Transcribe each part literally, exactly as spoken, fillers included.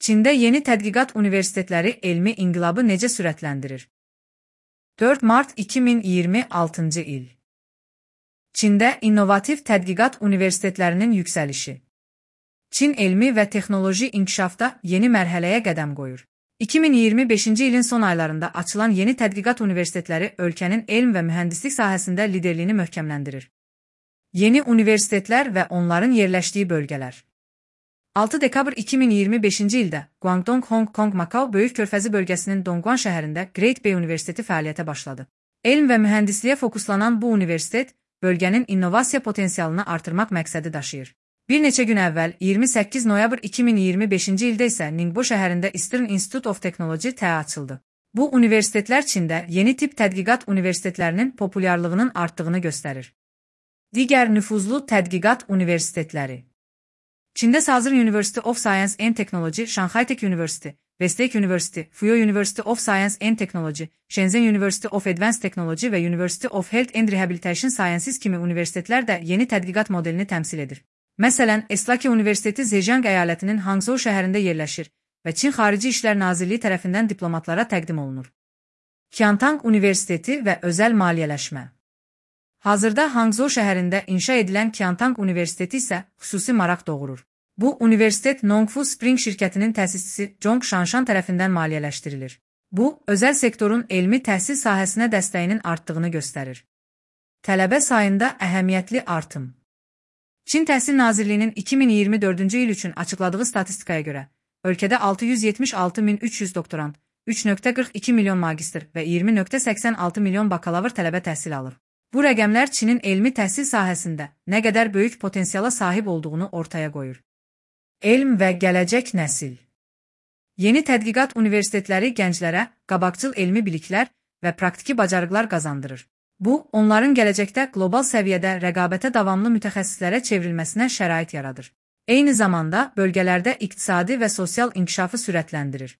Çində yeni tədqiqat universitetləri elmi inqilabı necə sürətləndirir? dörd mart iki min iyirmi altıncı il. Çində innovativ tədqiqat universitetlərinin yüksəlişi. Çin elmi və texnoloji inkişafda yeni mərhələyə qədəm qoyur. iki min iyirmi beşinci ilin son aylarında açılan yeni tədqiqat universitetləri ölkənin elm və mühəndislik sahəsində liderliyini möhkəmləndirir. Yeni universitetlər və onların yerləşdiyi bölgələr. altı dekabr iki min iyirmi beşinci ildə Guangdong Hong Kong Macau Böyük Körfəzi bölgəsinin Dongguan şəhərində Great Bay Universiteti fəaliyyətə başladı. Elm və mühəndisliyə fokuslanan bu universitet, bölgənin innovasiya potensialını artırmaq məqsədi daşıyır. Bir neçə gün əvvəl, iyirmi səkkiz noyabr iki min iyirmi beşinci ildə isə Ningbo şəhərində Eastern Institute of Technology T A açıldı. Bu universitetlər Çində yeni tip tədqiqat universitetlərinin populyarlığının artdığını göstərir. Digər nüfuzlu tədqiqat universitetləri. Çində Sazır University of Science and Technology, Shanghai Tech University, Westlake University, Fuyo University of Science and Technology, Shenzhen University of Advanced Technology və University of Health and Rehabilitation Sciences kimi universitetlər də yeni tədqiqat modelini təmsil edir. Məsələn, Eslaki Universiteti Zhejiang əyalətinin Hangzhou şəhərində yerləşir və Çin Xarici İşlər Nazirliyi tərəfindən diplomatlara təqdim olunur. Qiantang Universiteti və özəl maliyyələşmə. Hazırda Hangzhou şəhərində inşa edilən Qiantang Universiteti isə xüsusi maraq doğurur. Bu universitet Nongfu Spring şirkətinin təsisçisi Zhong Shanshan tərəfindən maliyyələşdirilir. Bu, özəl sektorun elmi təhsil sahəsinə dəstəyinin artdığını göstərir. Tələbə sayında əhəmiyyətli artım. Çin Təhsil Nazirliyinin iki min iyirmi dördüncü il üçün açıqladığı statistikaya görə, ölkədə altı yüz yetmiş altı min üç yüz doktorant, üç nöqtə qırx iki milyon magistr və iyirmi nöqtə səksən altı milyon bakalavr tələbə təhsil alır. Bu rəqəmlər Çinin elmi təhsil sahəsində nə qədər böyük potensiala sahib olduğunu ortaya qoyur. Elm və gələcək nəsil. Yeni tədqiqat universitetləri gənclərə qabaqcıl elmi biliklər və praktiki bacarıqlar qazandırır. Bu, onların gələcəkdə qlobal səviyyədə rəqabətə davamlı mütəxəssislərə çevrilməsinə şərait yaradır. Eyni zamanda bölgələrdə iqtisadi və sosial inkişafı sürətləndirir.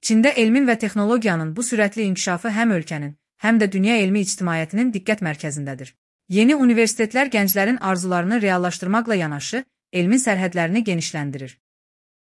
Çində elmin və texnologiyanın bu sürətli inkişafı həm ölkənin, həm də dünya elmi ictimaiyyətinin diqqət mərkəzindədir. Yeni universitetlər gənclərin arzularını reallaşdırmaqla yanaşı, elmin sərhədlərini genişləndirir.